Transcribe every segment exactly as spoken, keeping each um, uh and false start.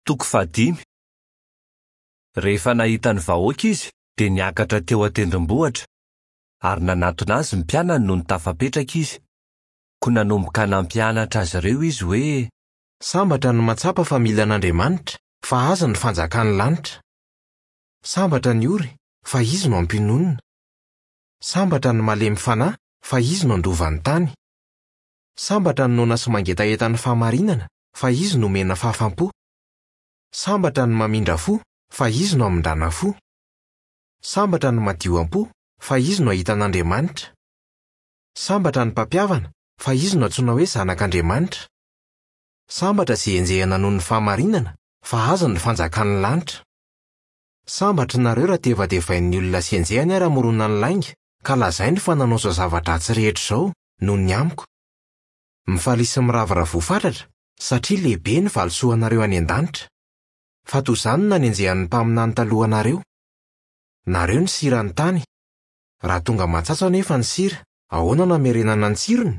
Toko fahadimy. Rehefa nahita ny vahoaka izy, dia niakatra teo an-tendrombohitra, ary nanatona azy ny mpianany nony tafapetraka izy. Koa nanomboka nampianatra azy ireo izy hoe: Sambatra ny mahatsapa fa mila an'Andriamanitra, fa azy ny fanjakan'ny lanitra. Sambatra ny ory, fa izy no ampiononina. Sambatra ny malemy fanahy, fa izy no handova ny tany. Sambatra ny noana sy mangetaheta ny fahamarinana, fa izy no omena fahafam-po. Sambatra ny mamindra fo, fa izy no hamindrana fo. Sambatra ny madio am-po, fa izy no hahita an'Andriamanitra. Sambatra ny mpampihavana, fa izy no antsoina hoe zanak'Andriamanitra. Sambatra izay enjehina noho ny fahamarinana, fa azy ny fanjakan'ny lanitra. Sambatra nareo raha tevatevain'ny olona sy enjehiny ary hamorona ny lainga, ka lazainy fa nanao izao zava-dratsy rehetra izao noho ny amiko. Mifalia sy miravoravoa fatratra, satria lehibe ny valisoanareo any an-danitra. Fa toy izany no nanenjehan'ny mpaminany talohanareo. Nareo ny siran'ny tany. Raha tonga matsatso anefa ny sira, ahoana no hamerenana ny tsirony?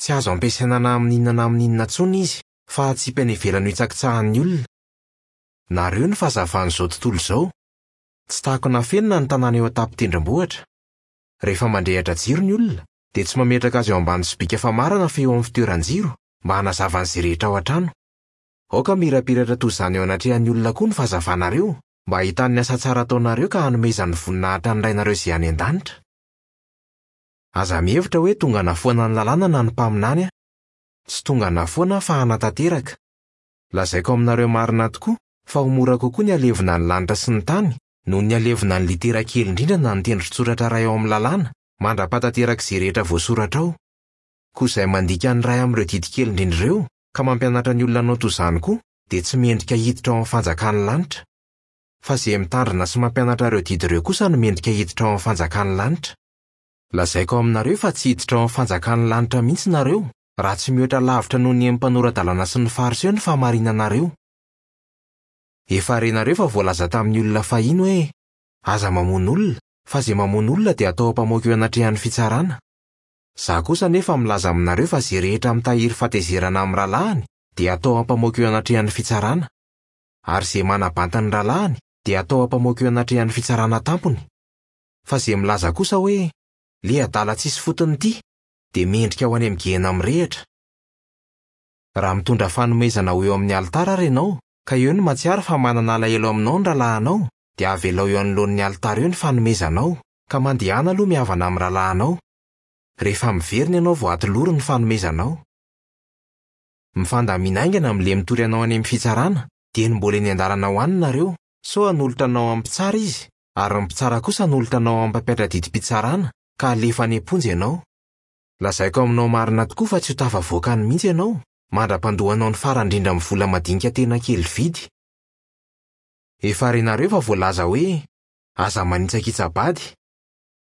Tsy azo ampiasaina na amin'inona na amin'inona intsony izy, fa atsipy any ivelany ho hitsakitsahan'ny olona. Nareo ny fahazavan'izao tontolo izao. Tsy takona afenina ny tanàna eo an-tampon-tendrombohitra. Rehefa mandrehitra jiro ny olona, dia tsy mametraka azy eo ambany sobika famarana fa eo amin'ny fitoeran-jiro mba hanazava an'izay rehetra ao an-trano. Aoka mirapiratra toy izany eo anatrehan'ny olona koa ny fahazavanareo, mba hahitany ny asa tsara ataonareo ka hanomezany voninahitra ny Rainareo izay any an-danitra. Aza mihevitra hoe tonga nafoana ny lalàna na ny mpaminany aho. Tsy tonga nafoana fa hanatanteraka. Lazaiko aminareo marina tokoa fa ho mora kokoa ny halevina ny lanitra sy ny tany noho ny halevina ny litera kely indrindra na ny tendron-tsoratra iray ao amin'ny lalàna mandra-pahatanteraka izay rehetra voasoratra ao. Koa izay mandika ny iray amin'ireo didy kely indrindra ireo ka mampianatra ny olona hanao toy izany koa dia tsy mendrika hiditra ao amin'ny fanjakan'ny lanitra. Fa izay mitandrina sy mampianatra ireo didy ireo kosa no mendrika hiditra ao amin'ny fanjakan'ny lanitra. Lazaiko aminareo fa tsy hiditra ao amin'ny fanjakan'ny lanitra mihitsy nareo raha tsy mihoatra lavitra noho ny mpanora-dalàna sy ny fariseo ny fahamarinanareo. Efa renareo fa voalaza tamin'ny olona fahiny hoe: aza mamono olona, fa izay mamono olona dia atao ampamoaka eo anatrehan'ny fitsarana. Izaho kosa anefa milaza aminareo fa izay rehetra mitahiry fahatezerana amin'ny rahalahiny dia atao ampamoaka eo anatrehan'ny fitsarana. Ary izay manabanta ny rahalahiny dia atao ampamoaka eo anatrehan'ny fitsarana tampony. Fa izay milaza kosa hoe: le adala tsisy fotony ity, dia mendrika ho any amin'ny gehena mirehitra. Raha mitondra fanomezana ho eo amin'ny alitara ary ianao, ka eo no mahatsiaro fa manana alahelo aminao ny rahalahinao, dia avelao eo anoloan'ny alitara eo ny fanomezanao, ka mandehana aloha mihavana amin'ny rahalahinao. Rehefa miverina ianao vao atolory ny fanomezanao. Mifandamina haingana amin'ilay mitory anao any amin'ny fitsarana, dia ny mbola eny an-dalana ho any nareo, sao hanolotra anao amin'ny mpitsara izy, ary ny mpitsara kosa hanolotra anao amin'ny mpampiatra didim-pitsarana, ka alefa any am-ponja ianao. Lazaiko aminao marina tokoa fa tsy ho tafavoaka any mihitsy ianao, mandra-pandoanao ny farany indrindra amin'ny vola madinika tena kely vidy. Efa renareo fa voalaza hoe: aza manitsakitsa-bady.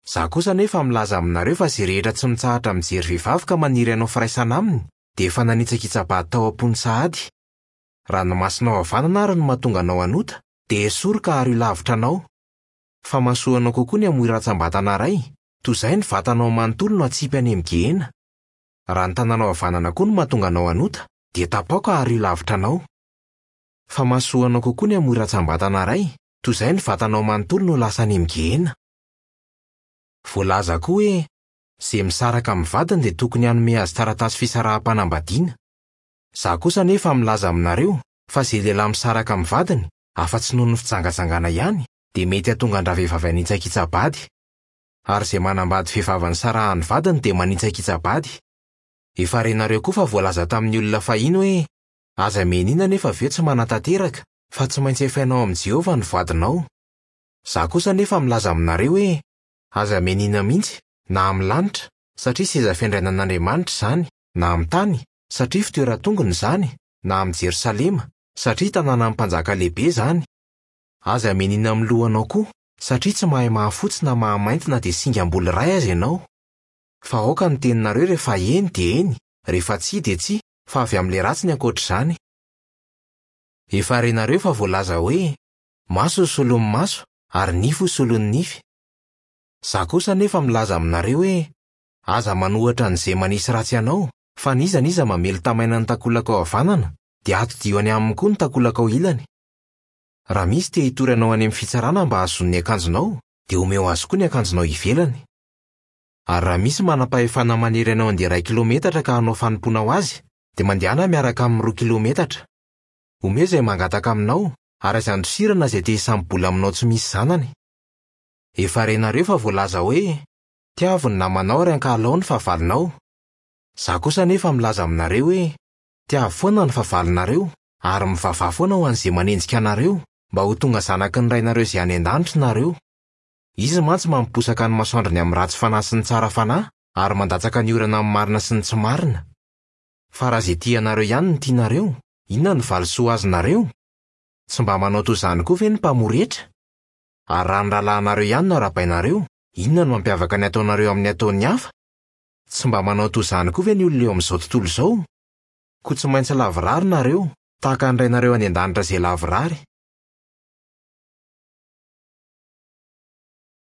Izaho kosa anefa milaza aminareo fa izay rehetra tsy mitsahatra mijery vehivavy ka maniry hanao firaisana aminy dia efa nanitsakitsa-bady tao am-pony sahady. Raha ny masonao havanana ary no mahatonga anao hanota, dia esory ka ario lavitra anao. Fa mahasoa kokoa ny hamoy rantsambatana iray, toy izay ny vatanao manontolo no atsipy any amin'ny gehena. Raha ny tananao havanana koa no mahatonga anao hanota, dia tapaho ka ario lavitra anao. Fa mahasoa kokoa ny hamoy rantsambatana iray, toy izay ny vatanao manontolo no lasa any amin'ny gehena. Voalaza koa hoe: izay misaraka amin'ny vadiny dia tokony hanome azy taratasy fisaraham-panambadiana. Izaho kosa anefa milaza aminareo fa izay lehilahy misaraka amin'ny vadiny, afa-tsy noho ny fijangajangana ihany, dia mety hahatonga an-dravehivavy hanitsakitsa-bady. Ary izay manambady vehivavy nisarahan'ny vadiny dia manitsakitsa-bady. Efa renareo koa fa voalaza tamin'ny olona fahiny hoe: aza mianiana nefa avy eo tsy manatanteraka, fa tsy maintsy efainao amin'i Jehovah ny voadinao. Izaho kosa anefa milaza aminareo hoe: aza mianiana mihitsy, na amin'ny lanitra, satria seza fiandrianan'Andriamanitra izany, na amin'ny tany, satria fitoeran-tongony izany, na amin'i Jerosalema, satria tanànan'ny mpanjaka lehibe izany. Aza mianiana amin'ny lohanao koa, satria tsy mahay mahafotsy na mahamainty na dia singam-bolo iray aza ianao. Fa aoka ny teninareo rehefa eny dia eny, rehefa tsia dia tsia, fa avy amin'ilay ratsy ny ankoatr'izany. Efa renareo fa voalaza hoe: maso ho solon'ny maso ary nify ho solon'ny nify. Izaho kosa anefa milaza aminareo hoe: aza manohitra an'izay manisy ratsy anao, fa n'iza n'iza mamely tamaina ny takolaka ao havanana, dia atodiho any aminy koa ny takolakao ilany. Raha misy te hitory anao any amin'ny fitsarana mba hahazoany ny akanjonao, dia omeo azy koa ny akanjonao ivelany. Ary raha misy manam-pahefana manery anao handeha iray kilometatra ka hanao fanompoana ho azy, dia mandehana miaraka amin'ny roa kilometatra. Omeo izay mangataka aminao, ary aza andosirana izay te hisambo-bola aminao tsy misy zanany. Efa renareo fa voalaza hoe: "Tiavo ny namanao ary ankahalao ny fahavalonao." Izaho kosa anefa milaza aminareo hoe: Tiavo foana ny fahavalonareo ary mivavaha foana ho an'izay manenjika anareo, mba ho tonga zanaky ny Rainareo izay any an-danitra nareo. Izy mantsy mampiposaka ny masoandrony amin'ny ratsy fanahy sy ny tsara fanahy ary mandatsaka ny orana amin'ny marina sy ny tsy marina. Fa raha izay tia anareo ihany no tianareo, inona no valisoa azonareo? Tsy mba manao toy izany koa ve ny mpamory hetra? Ary raha ny rahalahinareo ihany no arahabainareo, inona no mampiavaka ny ataonareo amin'ny ataon'ny hafa? Tsy mba manao toy izany koa ve ny olona eo amin'izao tontolo izao? Koa tsy maintsy lavorary nareo, tahaka ny Rainareo any an-danitra izay lavorary.